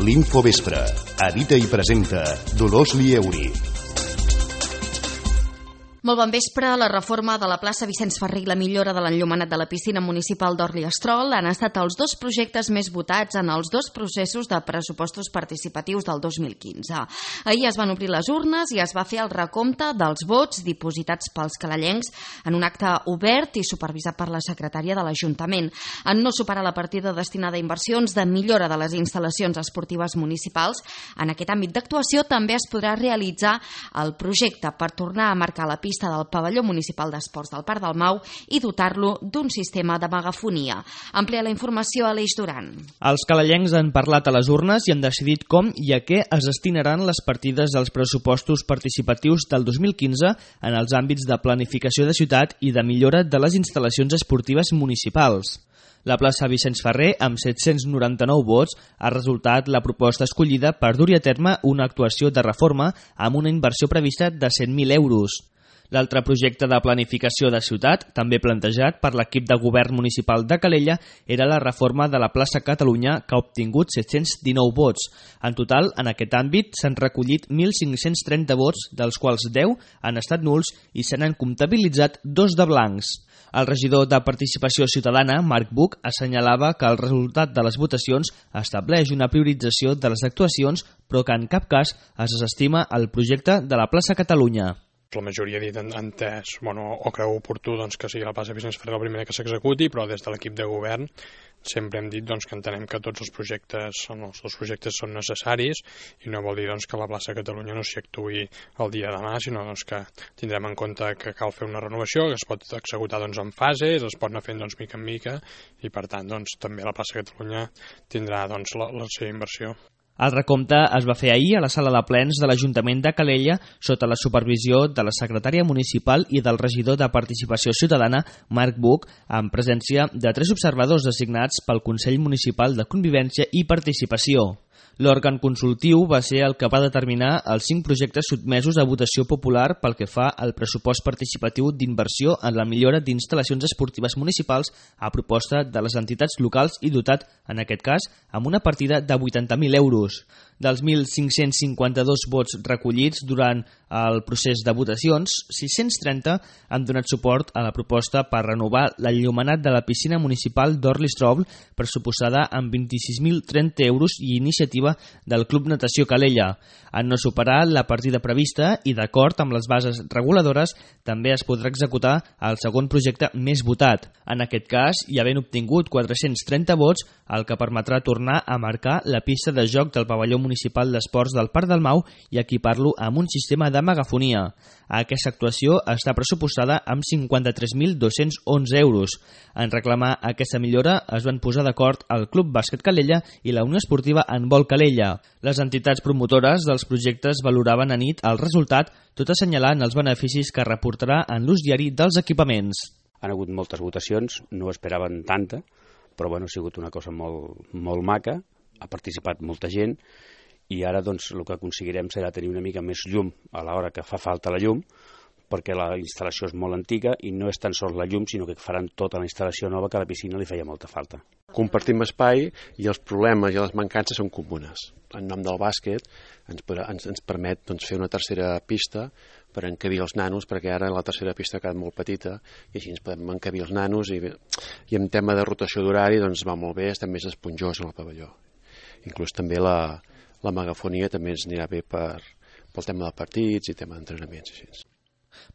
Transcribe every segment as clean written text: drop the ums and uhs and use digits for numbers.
L'Infovespre. Edita i presenta Dolors Lieuri. Molt bon vespre. La reforma de la plaça Vicenç Ferrer i la millora de l'enllumenat de la piscina municipal d'Orli-Estrol han estat els dos projectes més votats en els dos processos de pressupostos participatius del 2015. Ahir es van obrir les urnes i es va fer el recompte dels vots dipositats pels calellencs en un acte obert i supervisat per la secretària de l'Ajuntament. En no superar la partida destinada a inversions de millora de les instal·lacions esportives municipals, en aquest àmbit d'actuació també es podrà realitzar el projecte per tornar a marcar la pista del pavelló municipal d'esports del Parc del Mau i dotar-lo d'un sistema de megafonia. Amplia la informació a Aleix Duran. Els calellencs han parlat a les urnes i han decidit com i a què es destinaran les partides dels pressupostos participatius del 2015 en els àmbits de planificació de ciutat i de millora de les instal·lacions esportives municipals. La plaça Vicenç Ferrer, amb 799 vots, ha resultat la proposta escollida per dur-hi a terme una actuació de reforma amb una inversió prevista de 100.000 euros. L'altre projecte de planificació de ciutat, també plantejat per l'equip de govern municipal de Calella, era la reforma de la plaça Catalunya, que ha obtingut 719 vots. En total, en aquest àmbit, s'han recollit 1.530 vots, dels quals 10 han estat nuls i se n'han comptabilitzat 2 de blancs. El regidor de Participació Ciutadana, Marc Buch, assenyalava que el resultat de les votacions estableix una priorització de les actuacions, però que en cap cas es desestima el projecte de la plaça Catalunya. La majoria ha dit entès, o creu oportú que sigui la plaça Vicenç Ferrer la primera que s'executi, però des de l'equip de govern sempre hem dit que entenem que tots els projectes són necessaris i no vol dir que la plaça Catalunya no s'hi actuï el dia de demà, sinó que tindrem en compte que cal fer una renovació, que es pot executar en fases, es pot anar fent mica en mica i per tant també la plaça Catalunya tindrà la seva inversió. El recompte es va fer ahir a la sala de plens de l'Ajuntament de Calella sota la supervisió de la secretària municipal i del regidor de Participació Ciutadana, Marc Buch, en presència de 3 observadors designats pel Consell Municipal de Convivència i Participació. L'òrgan consultiu va ser el que va determinar els 5 projectes sotmesos a votació popular pel que fa al pressupost participatiu d'inversió en la millora d'instal·lacions esportives municipals a proposta de les entitats locals i dotat, en aquest cas, amb una partida de 80.000 euros. Dels 1.552 vots recollits durant el procés de votacions, 630 han donat suport a la proposta per renovar l'enllumenat de la piscina municipal d'Orli-Estrol, pressuposada amb 26.030 euros i iniciativa del Club Natació Calella. En no superar la partida prevista i d'acord amb les bases reguladores, també es podrà executar el segon projecte més votat. En aquest cas, hi havent obtingut 430 vots, el que permetrà tornar a marcar la pista de joc del pavelló municipal d'esports del Parc del Mau i equipar-lo amb un sistema de megafonia. Aquesta actuació està pressupostada amb 53.211 euros. En reclamar aquesta millora es van posar d'acord el Club Bàsquet Calella i la Unió Esportiva Handbol Calella. Les entitats promotores dels projectes valoraven a nit el resultat, tot assenyalant els beneficis que reportarà en l'ús diari dels equipaments. Han hagut moltes votacions, no esperaven tanta, però ha sigut una cosa molt maca, ha participat molta gent i ara el que aconseguirem serà tenir una mica més llum a l'hora que fa falta la llum, perquè la instal·lació és molt antiga i no és tan sols la llum, sinó que faran tota la instal·lació nova que a la piscina li feia molta falta. Compartim espai i els problemes i les mancances són comunes. En nom del bàsquet ens permet fer una tercera pista per encabir els nanos, perquè ara la tercera pista ha quedat molt petita i així ens podem encabir els nanos i en tema de rotació d'horari va molt bé, està més esponjós en el pavelló. Inclús també la megafonia també ens anirà bé pel tema de partits i tema d'entrenaments i així.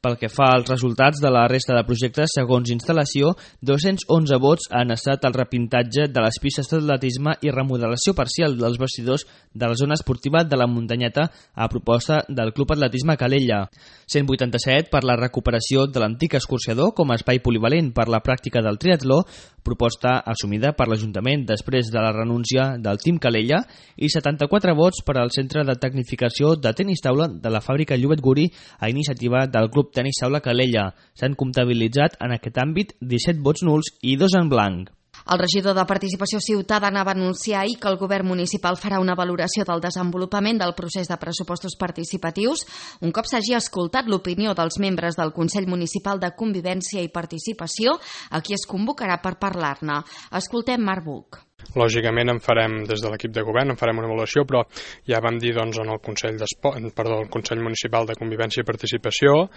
Pel que fa als resultats de la resta de projectes, segons instal·lació, 211 vots han estat el repintatge de les pistes d'atletisme i remodelació parcial dels vestidors de la zona esportiva de la Muntanyeta a proposta del Club Atletisme Calella. 187 per la recuperació de l'antic escorxador com a espai polivalent per la pràctica del triatló, proposta assumida per l'Ajuntament després de la renúncia del Team Calella, i 74 vots per al Centre de Tecnificació de Tenis Taula de la fàbrica Llobet Guri a iniciativa del Club Tenis Taula Calella. S'han comptabilitzat en aquest àmbit 17 vots nuls i 2 en blanc. El regidor de Participació Ciutadana va anunciar ahir que el govern municipal farà una valoració del desenvolupament del procés de pressupostos participatius un cop s'hagi escoltat l'opinió dels membres del Consell Municipal de Convivència i Participació, a qui es convocarà per parlar-ne. Escoltem Marc Buch. Lògicament des de l'equip de govern en farem una avaluació, però ja vam dir en el Consell Municipal de Convivència i Participació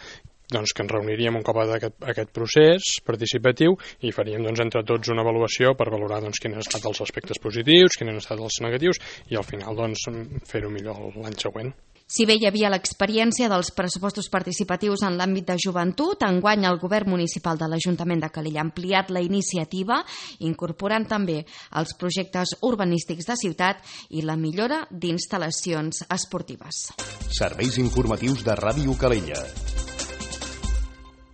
que ens reuniríem un cop aquest procés participatiu i faríem entre tots una avaluació per valorar quins han estat els aspectes positius, quins han estat els negatius i al final fer-ho millor l'any següent. Si bé hi havia l'experiència dels pressupostos participatius en l'àmbit de joventut, enguany el govern municipal de l'Ajuntament de Calella ha ampliat la iniciativa, incorporant també els projectes urbanístics de ciutat i la millora d'instal·lacions esportives. Serveis informatius de Ràdio Calella.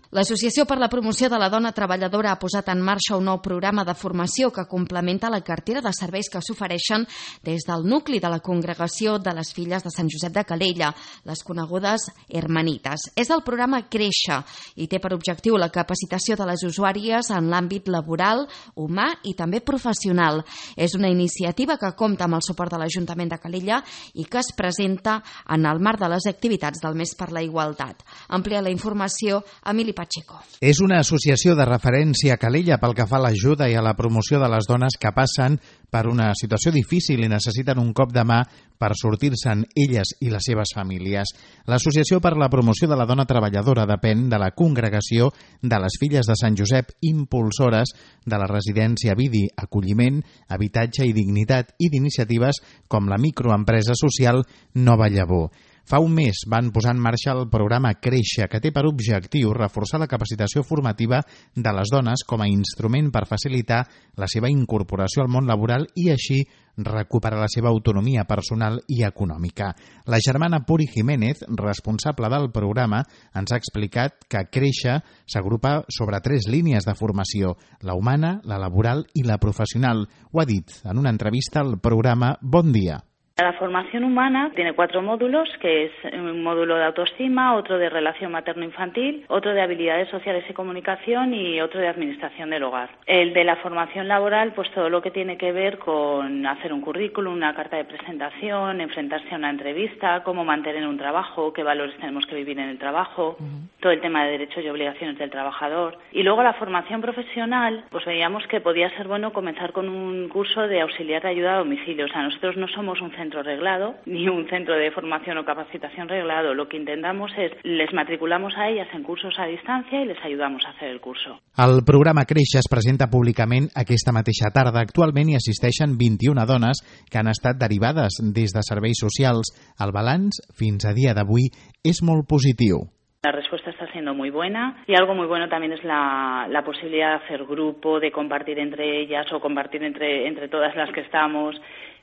L'Associació per la Promoció de la Dona Treballadora ha posat en marxa un nou programa de formació que complementa la cartera de serveis que s'ofereixen des del nucli de la Congregació de les Filles de Sant Josep de Calella, les conegudes Hermanites. És el programa Créixer i té per objectiu la capacitació de les usuàries en l'àmbit laboral, humà i també professional. És una iniciativa que compta amb el suport de l'Ajuntament de Calella i que es presenta en el marc de les activitats del Mes per la Igualtat. Amplia la informació Emili Pacheco. És una associació de referència a Calella pel que fa a l'ajuda i a la promoció de les dones que passen per una situació difícil i necessiten un cop de mà per sortir-se'n elles i les seves famílies. L'Associació per la Promoció de la Dona Treballadora depèn de la Congregació de les Filles de Sant Josep, impulsores de la residència Vidi, acolliment, habitatge i dignitat i d'iniciatives com la microempresa social Nova Llavor. Fa un mes van posar en marxa el programa Créixer, que té per objectiu reforçar la capacitació formativa de les dones com a instrument per facilitar la seva incorporació al món laboral i així recuperar la seva autonomia personal i econòmica. La germana Puri Jiménez, responsable del programa, ens ha explicat que Créixer s'agrupa sobre 3 línies de formació, la humana, la laboral i la professional. Ho ha dit en una entrevista al programa Bon Dia. La formación humana tiene 4 módulos, que es un módulo de autoestima, otro de relación materno-infantil, otro de habilidades sociales y comunicación y otro de administración del hogar. El de la formación laboral, pues todo lo que tiene que ver con hacer un currículum, una carta de presentación, enfrentarse a una entrevista, cómo mantener un trabajo, qué valores tenemos que vivir en el trabajo, todo el tema de derechos y obligaciones del trabajador. Y luego la formación profesional, pues veíamos que podía ser bueno comenzar con un curso de auxiliar de ayuda a domicilio. O sea, nosotros no somos un centro reglado, ni un centro de formación o capacitación reglado. Lo que intentamos es, les matriculamos a ellas en cursos a distancia y les ayudamos a hacer el curso. El programa Créixer es presenta públicament aquesta mateixa tarda. Actualment hi assisteixen 21 dones que han estat derivades des de serveis socials. El balanç, fins a dia d'avui, és molt positiu. La respuesta está siendo muy buena y algo muy bueno también es la posibilidad de hacer grupo, de compartir entre ellas o compartir entre todas las que estamos.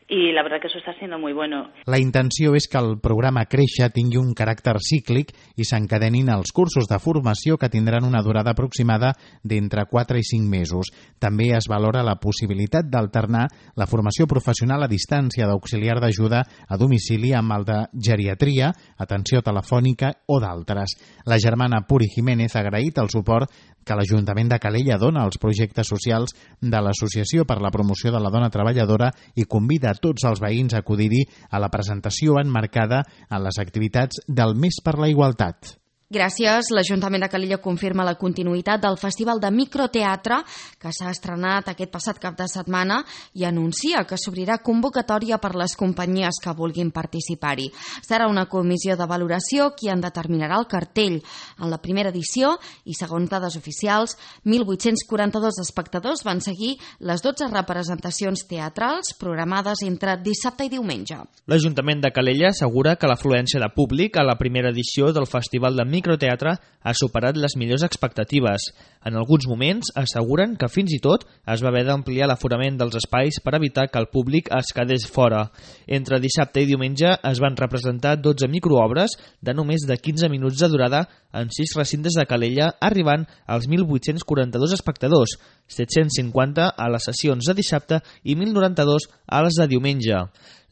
I la veritat que això està sent molt bueno. La intenció és que el programa Créixer tingui un caràcter cíclic i s'encadenin els cursos de formació que tindran una durada aproximada d'entre 4 i 5 mesos. També es valora la possibilitat d'alternar la formació professional a distància d'auxiliar d'ajuda a domicili amb el de geriatria, atenció telefònica o d'altres. La germana Puri Jiménez ha agraït el suport que l'Ajuntament de Calella dona als projectes socials de l'Associació per la Promoció de la Dona Treballadora i convida a tots els veïns a acudir-hi a la presentació emmarcada en les activitats del Mes per la Igualtat. Gràcies. L'Ajuntament de Calella confirma la continuïtat del Festival de Microteatre que s'ha estrenat aquest passat cap de setmana i anuncia que s'obrirà convocatòria per les companyies que vulguin participar-hi. Serà una comissió de valoració qui en determinarà el cartell. En la primera edició, i segons dades oficials, 1.842 espectadors van seguir les 12 representacions teatrals programades entre dissabte i diumenge. L'Ajuntament de Calella assegura que l'afluència de públic a la primera edició del Festival de Microteatre ha superat les millors expectatives. En alguns moments asseguren que fins i tot es va haver d'ampliar l'aforament dels espais per evitar que el públic es quedés fora. Entre dissabte i diumenge es van representar 12 microobres de només de 15 minuts de durada en 6 recintes de Calella, arribant als 1.842 espectadors, 750 a les sessions de dissabte i 1.092 a les de diumenge.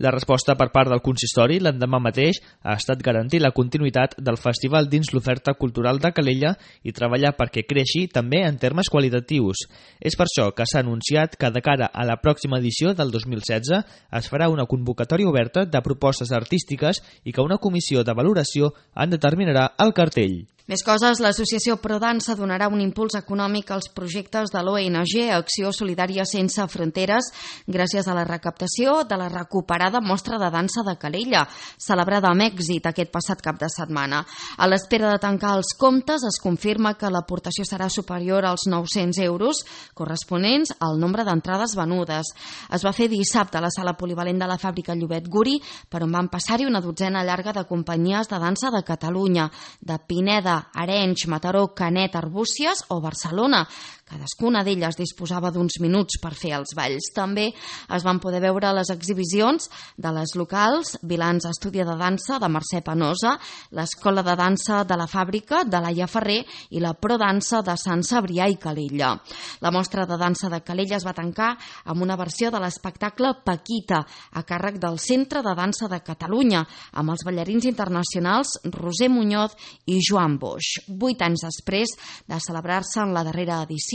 La resposta per part del consistori l'endemà mateix ha estat garantir la continuïtat del festival dins l'oferta cultural de Calella i treballar perquè creixi també en termes qualitatius. És per això que s'ha anunciat que de cara a la pròxima edició del 2016 es farà una convocatòria oberta de propostes artístiques i que una comissió de valoració en determinarà el cartell. Més coses, l'associació ProDansa donarà un impuls econòmic als projectes de l'ONG Acció Solidària Sense Fronteres gràcies a la recaptació de la recuperada mostra de dansa de Calella, celebrada amb èxit aquest passat cap de setmana. A l'espera de tancar els comptes, es confirma que l'aportació serà superior als 900 euros, corresponents al nombre d'entrades venudes. Es va fer dissabte a la sala polivalent de la fàbrica Llobet Guri, per on van passar-hi una dotzena llarga de companyies de dansa de Catalunya, de Pineda, Arenys, Mataró, Canet, Arbúcies o Barcelona. Cadascuna d'elles disposava d'uns minuts per fer els balls. També es van poder veure les exhibicions de les locals Vilans Estudi de Dansa de Mercè Penosa, l'Escola de Dansa de la Fàbrica de Laia Ferrer i la Prodansa de Sant Cebrià i Calella. La mostra de dansa de Calella es va tancar amb una versió de l'espectacle Paquita, a càrrec del Centre de Dansa de Catalunya, amb els ballarins internacionals Roser Muñoz i Joan Boix. 8 anys després de celebrar-se en la darrera edició,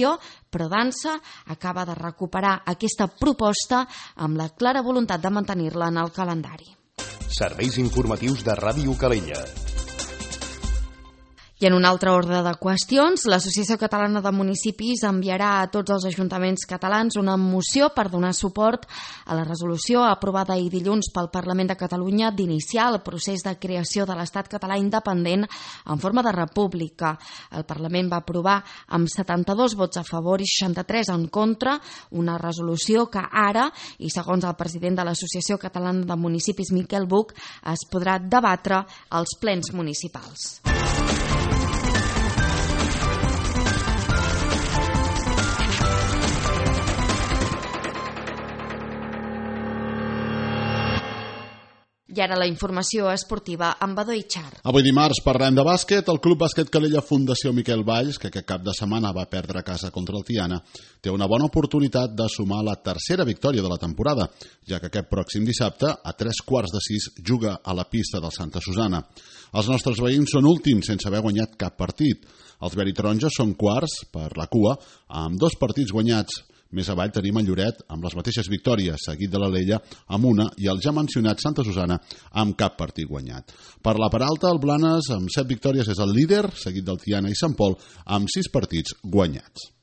ProDansa acaba de recuperar aquesta proposta amb la clara voluntat de mantenir-la en el calendari. Serveis informatius de Ràdio Calella. I en un altre ordre de qüestions, l'Associació Catalana de Municipis enviarà a tots els ajuntaments catalans una moció per donar suport a la resolució aprovada ahir dilluns pel Parlament de Catalunya d'iniciar el procés de creació de l'Estat català independent en forma de república. El Parlament va aprovar amb 72 vots a favor i 63 en contra una resolució que ara, i segons el president de l'Associació Catalana de Municipis, Miquel Buch, es podrà debatre als plens municipals. I ara la informació esportiva amb Badó Itxar. Avui dimarts parlem de bàsquet. El Club Bàsquet Calella Fundació Miquel Valls, que aquest cap de setmana va perdre a casa contra el Tiana, té una bona oportunitat de sumar la tercera victòria de la temporada, ja que aquest pròxim dissabte, a 3:45, juga a la pista del Santa Susana. Els nostres veïns són últims sense haver guanyat cap partit. Els veritaronges són quarts per la cua, amb 2 partits guanyats. Més avall tenim el Lloret amb les mateixes victòries, seguit de l'Alella amb una i el ja mencionat Santa Susana amb cap partit guanyat. Per la part alta, el Blanes amb 7 victòries és el líder, seguit del Tiana i Sant Pol amb 6 partits guanyats.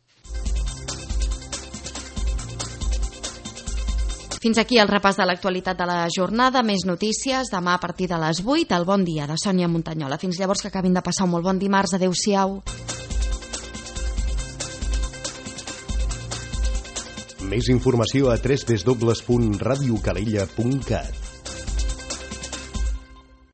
Fins aquí el repàs de l'actualitat de la jornada. Més notícies demà a partir de les 8. El Bon Dia de Sònia Montanyola. Fins llavors, que acabin de passar un molt bon dimarts. Adéu-siau. Més informació a www.radiocalella.cat.